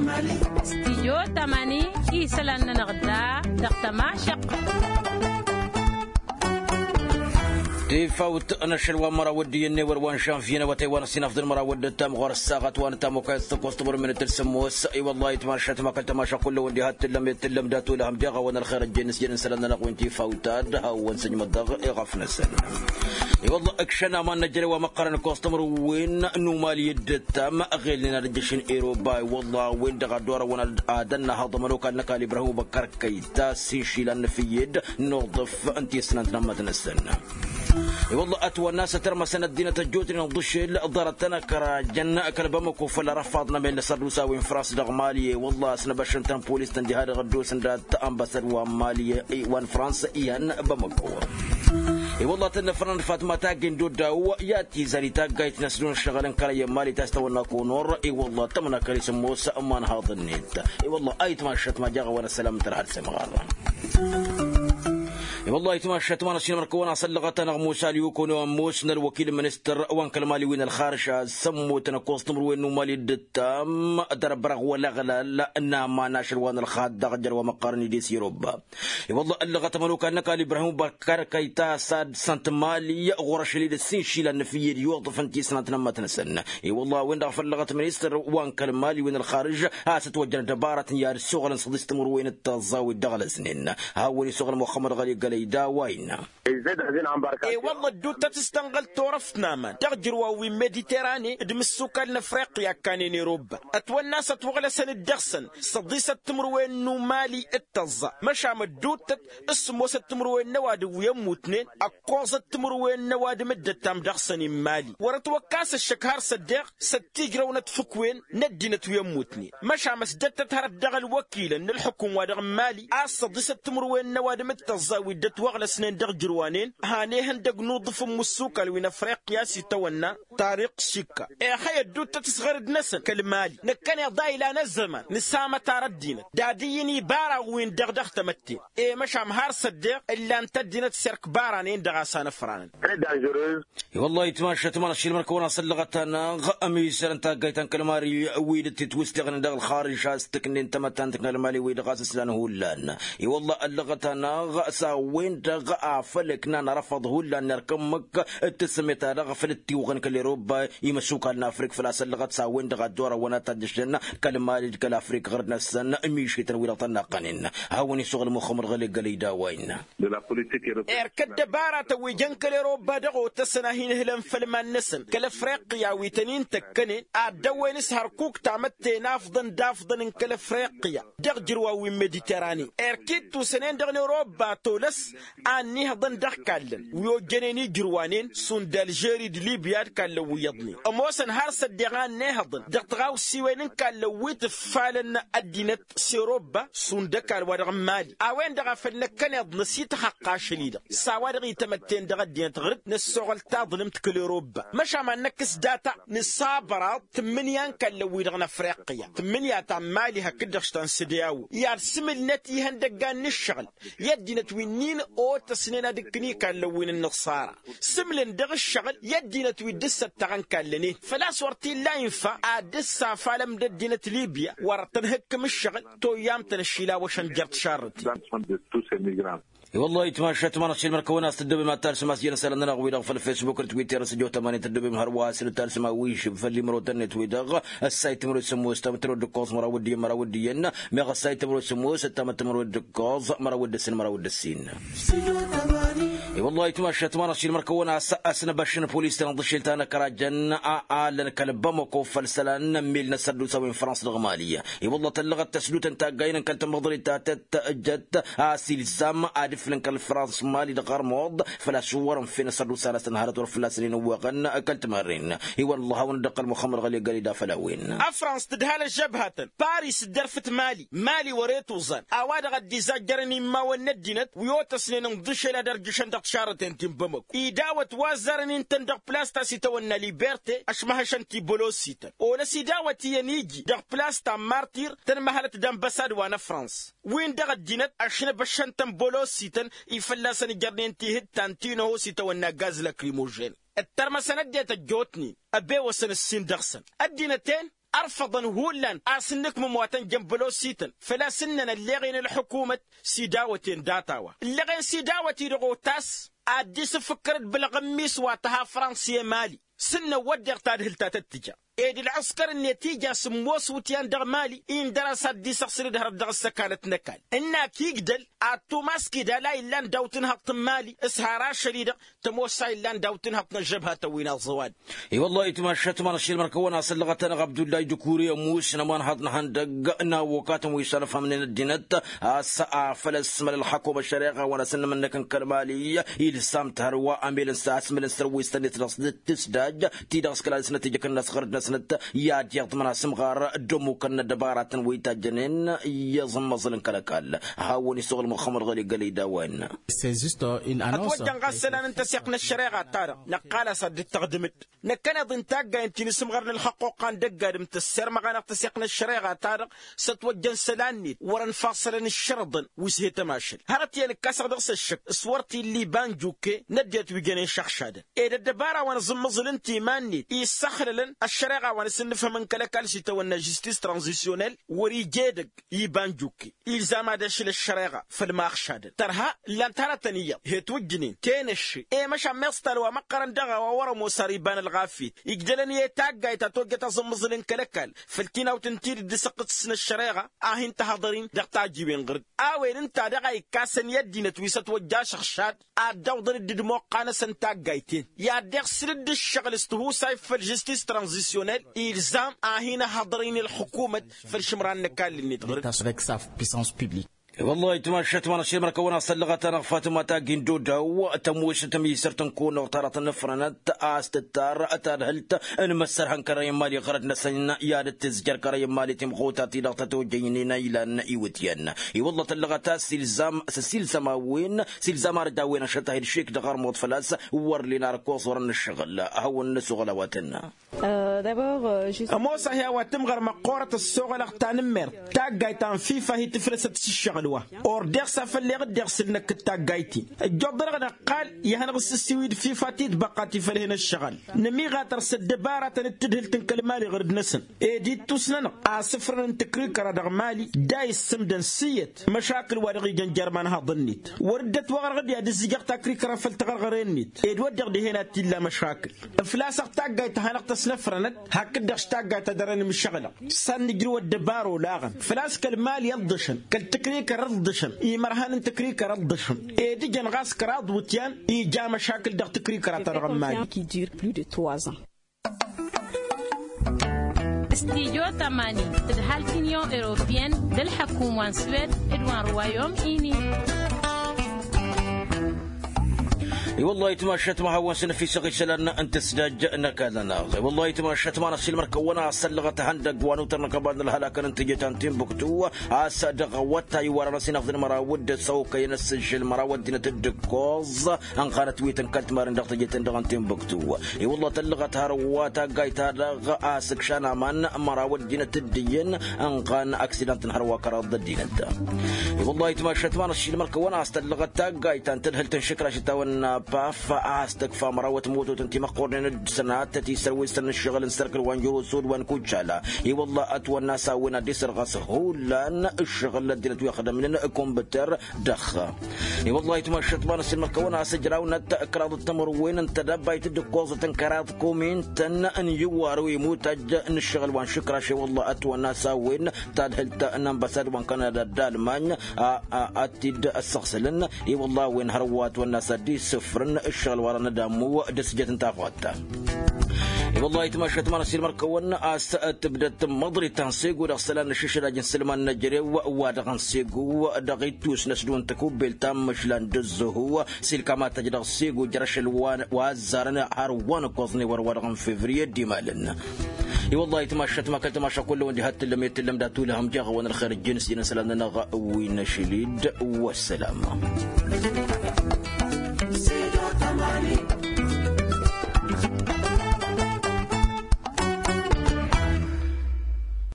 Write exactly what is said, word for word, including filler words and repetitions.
Stijyo tamani isălan-nănăɣ da dăɣ-tămašăqq. Tifawt n-ašăl wa n-măraw dd-iyyăn n-ewăr wa n-žănvye n-awătay wa n-ăsinafḍăn măraw dd-ăttam ɣur-ăssaɣăt wa n-ăttam okayăt s-tăkkoẓ timǝrwen d-tǝlsǝmmos. I-wăllah ayǝtmašat ma kăl-tămašăqq kull-ewăn diha t-tǝllăm i-tǝllăm dat-olăhăm deɣ a-wen ălxer ăjjeen s-jăn n-isălan-nănăɣ wi n-tifawt ad-hawăn-sǝjmăḍ dăɣ-eɣăf-năsăn. I-wăllah ǝkšăn aman n-ejăre wa măqqărăn ǝkkoẓ timǝrwen n-umali dd-ăttam ăɣelnen ad-ǝjjǝšăn eroba. I-wăllah a-wen-dăɣ a dd-orăwăn ad-ănnăhăḍ ămănokal n-ăkall ibrahim ubăkkar kăyta s-inšila n-efǝyyed n-uḍǝf n-tisnant n-ămmăt-năsăn. I-wălla ătwănna a-s ătărmăsăn ăddinăt ăjjootnen ǝḍǝšel ḍarăt-tăn ăkrajăn kăl-bamăko făll-arăfaḍ n-amel n-asărdusa wi n-frans dăɣ-mali. I-wălla a-s năbăššăn-tăn polis-tăn diha dăɣ-ăddoosăn dat-ănbăsăd wa n-mali wa n-frans ihăn bamăko. I-wălla tănnăfrăn fatma taggen doddaw i-ad-tizan i-taggayt n-asdun ăššăɣǝl n-kărăyăn mali ta s-tawănna konor. I-wălla tămănakăl isǝmmos ma n-haḍ-net. I-wălla ayǝtmaššăt ma jaɣ-a-wen ăssălam n-tărha d-semɣarra. I-wălla ayǝtmaššăt ma n-ašilmăr kăwăn-asăllăɣăt-anăɣ musa lyukun wa n-ămoos n-ălwăkil n-ministăr wa n-kăl-mali wi n-ălxarǝš a-s ămmutăn ăkkoẓ timǝrwen n-umali dd-ǝttam. Dăr-bărăɣ wăl-ăɣlal n-aman ašăl wa n-ălxaḍ dăɣ-jăr wa măqqărăn idis i-robba. I-wălla ăllăɣăt ămănokal n-ăkall ibrahim băkkar kăyta a-s ad-săn timali ɣur-ašăl-i d-ǝssin išilan n-efǝyyed i-uḍǝf n-tisnant n-ămmăt-năsăn. I-wălla a-wen-dăɣ a făllăɣăt ministăr wa n-kăl-mali wi n-ălxarǝž a-s ătwăjjăn ăddăbarătăn i-ad-ǝssoɣălăn săḍis timǝrwen d-tăẓẓa wi dd-ăɣlăsnen. Hawăn-isoɣăl muxămmăd ɣăli gălăy d-a-wa innă. E-wălla ădduuttăt s-tănɣăl turăft n-aman dăɣ-ijrǝwăn wi n-mediterane d-imǝssukal n-afriqya ǝkkanen i-robba. Ătwănna a-s ătwăɣlăsăn-dd dăɣ-săn săḍisăt timǝrwen n-umali d-tăẓẓa. Măšan ădduuttăt s-sǝmmosăt timǝrwen n-ăwadǝm wi ămmutnen ăkkoẓăt timǝrwen n-ăwadǝm dd-ăttam dăɣ-săn i n-mali wăr-ătwăkkas ăššăk har s-ăddeɣ s-ăttiijrăwnăt fǝkwen n-ăddinăt wi ămmutnen. Măšan ăsdăttăt hărăt dăɣ-ălwăkilăn n-ǝlḥǝkum wa dăɣ-n mali a-s săḍisăt timǝrwen n-ăwadǝm d-tăẓẓa wi dd-ătwăɣlăsnen dăɣ-ijrǝwanen. Han ihăndăg n-uḍǝf n-imǝssukal wi n-afriqya s-itawănna tariq šikka. Ixăy ădduuttăt s-ɣărd-năsăn kăl-mali năkkăneḍ a ilan ăzzăman nǝsamătar ăddinăt d-ad-ǝyyǝn ibaraɣ-win-dăɣ dăɣ-tamătte. E măšan har s-ăddeɣ ǝllan-t ăddinăt s-erk bara-nen-dăɣ a-s anăfranăn. I-wăllah ayǝtmašat ma n-ašilmăr-kăwăn-asăllăɣăt-anăɣ ămisărăn taggayt ta n-kăl-mali wi dd-titwǝsteɣnen dăɣ-ălxarǝž a-s tǝknen tamăttant n-kăl-mali wi-dăɣ a-s ǝslan hullan. I-wăllah ăllăɣăt-anăɣ s-a-wen-dăɣ a făl ǝknan arăfăḍ hullan n-erk ǝmmǝk d-tǝssǝmet-ta-dăɣ făl dd-tiwɣăn kăl-eroba imăsukal n-afrik făl-a-s ăllăɣăt s-a-wen-dăɣ a dd-orăwăn ad-tajjăšnen kăl-mali d-kăl-afrik ɣărd-năsăn. Mišităn wi-dăɣ tănnaqqănen. Hawăn-isuɣǝl muxămmăd ɣăli gălăy d-a-wa innă. Erk ăddăbaratăn wi jăn kăl-eroba dăɣ-otăsăn a hin-ǝhlăn făll-iman-năsăn kăl-afriqya wi tăn-in-tăkkănen ad-dăwwen s-hărkuk tamătte n-afḍăn d-afḍăn n-kăl-afriqya dăɣ-ijrǝwăn wi n-mediterane. Erk ittusăn-en-dăɣ n-eroba tolăs a ănnihăḍăn dăɣ-ikallăn wi ojjănen ijrǝwanen šund alžeri d-libya d-ikallăn wi iyyăḍnen ămoosăn har s-ăddeɣ a ănnihăḍăn dăɣ-tiɣawsiwen n-ikallăn wi tǝffalăn ăddinăt s-eroba šund ăkall wa dăɣ-n mali. A-wen-dăɣ a făl năkkăneḍ năsităxăqq ašăl-i-dăɣ s-a-wa-dăɣ itămătten dăɣ-ăddinăt ɣǝr-dd năssoɣăl taḍlǝmt kăl-eroba. Măšan ma n-năkkǝs data nǝsabăraḍ tǝmmǝnǝya n-ikallăn-wi-dăɣ n-afriqya tǝmmǝnǝya ta n-mali hakd-dăɣ š-ta n-sădeawo i-ad-sǝmǝlnăt ihăndăggan n-ǝššăɣǝl i-ăddinăt wi n-in-otăsnen ad-ǝkkǝn ikallăn wi n-ǝnnăṣara. Sǝmlăn dăɣ-ǝššăɣǝl i-ăddinăt wi dd-ǝssăttăɣăn kallăn-en făl-a-s wăr t-illa infa ad-dd-safalăm d-ăddinăt libya wăr-tăn-hǝkkǝm ǝššăɣǝl. Toyyam-tăn ăššilawăšăn jer-tišarrăten. I-wăllah ayǝtmašat ma n-ašilmăr-kăwăn a-s tăddobem ad-talsăm a-s jăn isălan-nănăɣ-wi-dăɣ făll-fesbuk d-twitter s-ăjo tămanin tăddobem hărwa a-s n-talsăm a-wa išǝb făll-imrotăn-net-wi-dăɣ. Ăssayt timǝrwen d-sămoos tamǝttănăwăt d-ǝkkoẓ măraw d-iyyăn măraw d-iyyăn meɣ ăssayt timǝrwen d-sămoos ăttamăt timǝrwen d-ǝkkoẓ măraw d-ǝssin măraw d-ǝssin. I-wăllah ayǝtmašat ma n-ašilmăr-kăwăn a-s ăsnăbăššăn polis-tăn ăḍšel ta n-ăkrajăn a alăn kăl-bamăko făll-isălan n-ămmel n-asărdusa wi n-frans dăɣ-mali. I-wălla tăllăɣăt tăsdutăn taggayen n-kăl-tamăḍrit ta tăt-tăjjăt a-s ilzam ad-iflǝn kăl-frans mali dăɣ-ărmuḍ făl-a-s wăr-ǝnfen asărdusa-năsăn hărăt wăr fălla-săn inǝwwăɣăn kăl-timărren. I-wălla a hawăn-dd-ăqqăl muxămmăd ɣăli găli d-afăl a-wen. Afrans tǝdhal ăžžăbhătăn paris dd-ărfǝt mali mali wăr-e tuẓan a-wa-dăɣ a dd-izajjărăn immawăn n-ăddinăt wi otăsnen ǝnḍǝšel ad-ărjǝšăn dăɣ-tišarrăten ti n-bamăko idawăt wa ăzzarăn intăn dăɣ-plas ta s-itawănna liberte ăšmăhăšăn-t i-bolosităn. Olăs idawăt iyyăn iji dăɣ-plas ta n-martir tănmăhălăt d-ănbăsad wa n-afrans win-dăɣ ăddinăt ăšnăbăššăn-tăn bolosităn i-fălla-săn ijărnen tihǝttan ti n-ăhoos itawănna gaz lakrimožen. Ǝttărmăsăn ăddinăt ăjjootnen ăbewăsăn ǝssin dăɣ-săn ăddinăt-en. ărfăḍăn hullan a-s ǝnnǝkmǝm wa tăn-jăn bălosităn făl-a-s ǝnnăn ălleɣen ălḥukumăt s-idawăten data-wa ǝlleɣen s-idawăt-i-dăɣ otas. Ad-dd-isǝfǝkkăr d-bălɣămmis wa tăha fransa i-mali s-ǝnnăn wădden tadhǝlt ta tăt-tǝja ed ǝlɣǝskăr-net ija s-ămoos iwǝtyan dăɣ-mali-i n-dăr-a-s ad-dd-isăɣsǝl d-hărăt dăɣ-ăssăkanăt n-ăkall ǝnn'-ak igdăl ad-tumaskǝy d-ala illan daw-tǝnhăḍt n-mali s-har ašăl-i-dăɣ tămoos a illan daw-tǝnhăḍt n-ăžžăbhatăn wi n-aẓăwad. I-wăllah itmašat ma n-ašilmăr kăwăn-asăn lăɣătăn ɣabdullay dukuri ămuus n-ămanhăḍ n-ihăndăgg n-awokatăn wi s-ănfhămnen ăddinăt a-s afăl ăsmăl ălxakum ăššăreɣa wa n-asăn n-imǝnnăk n-kăl-mali. Ilsam-t hărwa amel n-sasmǝl n-sărwis-tăn-net dăɣ-s tǝsdaj ti-dăɣ s-kăla dăɣ-snăt ija kănnas ɣărăt-năsnăt i-ad-iyyăḍ mănasǝmɣar d-ămmukăn n-ăddăbaratăn wi tajjănen i-iẓǝmmăẓǝl n-kăl-ăkall. Hawăn-isuɣǝl muxămmăd ɣăli gălăy d-a-wen. Ătwăjjăn ɣas isălan n-tăseɣt n-ăššăreɣa-ta-dăɣ năqqal-as ad-dd-tăɣdǝm-dd năkkăneḍ-i n-taggayen ti n-asǝmɣar n-ălxăqquqa n-dăgg-adǝm tăssermăɣ-anăɣ tăseɣt n-ăššăreɣa-ta-dăɣ s-ătwăjjăn isălan-net wăr-ănfassălăn ǝššărǝḍăn wi s-he-tămašăl hărăt iyyăn ǝkkasăɣ dăɣ-s ăššăk s-wăr t-illa iba n-jukke n-ăddinăt wi jănen šăɣšadăn ed ăddăbara wa n-aẓǝmmăẓǝl ǝnta iman-net issăxlălăn ăššăreɣa wa n-asǝnnǝfhăm n-kăl-ăkall s-itawănna žistis tranzisyonel wăr-ija edăgg iba n-jukke. Ilzam ad-ašǝl ăššăreɣa făll-ma ăɣšadăn tărha ǝllan-t hărătăn iyyăḍ he-twǝjjǝnen tenăšše i-măšan meẓ talwa măqqărăn dăɣ-a-wa wăr-ămoos ar iba n-ălɣafyăt. Ijjălăn i-taggayt ta tojjăt aẓǝmmǝẓǝl n-kăl-ăkall făll-tinawt n-tidǝt d-asăqqǝs n-ăššăreɣa a hin-tăhăḍăr-in dăɣ-tajiwen ɣǝr-dd a-wen ǝnta daɣ a ikkasăn i-ăddinăt wi s-ătwăjja ašăɣšad ad-dd-awḍăn dd-ădmoqqan-asăn taggayt-en i-ad-dd-iɣsǝl dd-ǝššăɣǝl s-tihusayt făll-žistis tranzisyonel. Ilzam a hin-ăhhăḍăr-in ălxukumăt făll-išǝmran n-ăkall-net ɣǝr-dd. Wăllah itmašat ma n-ašilmăr kăwăn-asăn lăɣăt-anăɣ fatma tagin dodaw tămoosăt ămisărt n-kăwăn-dăɣ ta dăɣ-tăn-ăfrănăt a-s tǝttar tadhǝlt n-imǝssărhăn kărăyăn mali ɣărăt-năsăn i-ad-dd-tǝzjăr kărăyăn mali timɣuta-ti-dăɣ tătojăynen a ilan iwǝtyan. I-wăllah tăllăɣăt a-s ilzam s-ăsilsăm a-wen s-ilzam arăj a-wen ašăt a hi-dd-išik dăɣ-armuḍ făl-a-s wăr lin ar ăkkoẓ wăr-ănnăššăɣǝl. Hawăn-năsoɣăl a-wa tănna. Ămoos a hi-a-wa tǝmɣăr măqqoorăt ăssoɣălăɣ tanǝmmert taggayt ta n-fifa hi-tǝflăsăt s-ǝššăɣǝl wa ordeɣ s-afăl leɣ dd-iɣsǝl năkk d-taggayt-in. Ăjjoḍ-dăɣ năqqal i-hanăɣ-ǝssǝssiwǝy d-fifa titbăqqa ti făl hin-ǝššăɣǝl nǝmiɣatăr s-ăddăbaratăn d-tadhǝlt n-kăl-mali ɣur-dd-năsăn ed ittus-nănăɣ asǝfrăn n-tǝkrikăra dăɣ-mali. D-a issǝmdăn s-iyyăt măšakǝl wa dăɣ-ijăn jer-imanhaḍăn-net wăr dd-ătwăɣrăɣ d-i ad-ǝzzǝjăɣ takrikăra făll-taɣărɣăre-net ed wădden dihen ad-t-illa măšakǝl. Ǝflasăɣ taggayt ta hanăɣ-tăsnăfrănăt hakd-dăɣ s-taggayt ta dăr-enǝmšăɣlăɣ s-ad-nǝjrǝw ăddăbara olaɣăn făl-a-s kăl-mali ǝḍḍǝšăn kăl-tǝkrikăr ǝḍḍǝšăn imărhan n-tǝkrikăr ǝḍḍǝšăn. Ed ǝjăn ɣas kăraḍ iwǝtyan ija măšakǝl dăɣ-tǝkrikăra-ta-dăɣ n-mali. Stijo tămani tǝdhal t-inyon europiyăn d-ălḥăkum wa n-swed d-wa n-ruwayom-ini. I-wăllah itmašat ma hawăn-săn ăfisăɣ isălan n-tǝsdaj n-ăkall-nănăɣ i-wăllah itmašat ma n-ăsilmăr kăwăn-asăllăɣăt ihăndăgg wa n-utăr n-ăkăbad n-ălhălakăn n-tijăt ta n-timbuktu a-s dăɣ-awătay wa rănăsinăɣ d-măraw d-ăsăwkăyăn ăssǝžžǝl măraw ăddinăt d-ǝkkoẓ ănɣanăt wi tǝnkăl timarin dăɣ-tijăt-en dăɣ-n timbuktu. I-wăllah tăllăɣăt hărwa taggayt-ta-dăɣ a-s ǝkšan aman măraw ăddinăt d-iyyăn ănɣan aksidant n-hărwa kăraḍ d-ăddinăt. I-wăllah itmašat ma n-ăššilmăr kăwăn-as tăllăɣăt taggayt ta n-tadhǝlt n-išǝkraš itawănna paf a-s tǝkfa mărawăt mototăn timăqqornen d-sănatăt isărwǝstăn n-ǝššăɣǝl n-sărkǝl wa n-jăr osod wa n-kucala. I-wăllah ătwănna s-a-wen ad-dd-isărɣăs hullan ǝššăɣǝl n-ăddinăt wi ăxdămnen kumbǝtăr. Dăɣ-i-wăllah itmašat ma n-ăssilmăr kăwăn-as ǝjrawnăt kăraḍăt timǝrwen n-tedăbayt d-ǝkkoẓăt n-kăraḍ komintăn n-iwar wi imutaj n-ǝššăɣǝl wa n-išǝkraš i-wăllah ătwănna s-a-wen tadhǝlt n-ănbăsad wa n-kanada d-almany a ad-t-dd-ăssăɣsǝlăn. I-wăllah a-wen hărwa ătwănna s-ad-dd-isǝfrǝn ǝššăɣǝl wa rănăd ammu d-asǝjăt n-tafɣăt. I-wăllah itmašat ma n-ăssilmăr kăwăn-as tǝbdăt măḍrit ta n-sego dăɣ-isălan n-ašǝšraj n-isǝlman n-ejărew wa dăɣ-n sego dăɣ-ittus n-ăsdon tăkubbelt ta n-măšlan d-ǝzzăhu s-ilkam ad-tăjj dăɣ-sego jer-ašăl wa ăzzarăn har wa n-ǝkkoẓ n-ewăr wa dăɣ-n fevriye d-imalăn. I-wăllah itmašat ma kăl-tamaša kull-wăn diha t-tǝllăm i-tǝllăm dat-ulhăm jeɣ-awăn ălxer ǝjjǝn s-jăn isălan-nănăɣ wi n-ašăl-dd. Wăssălam.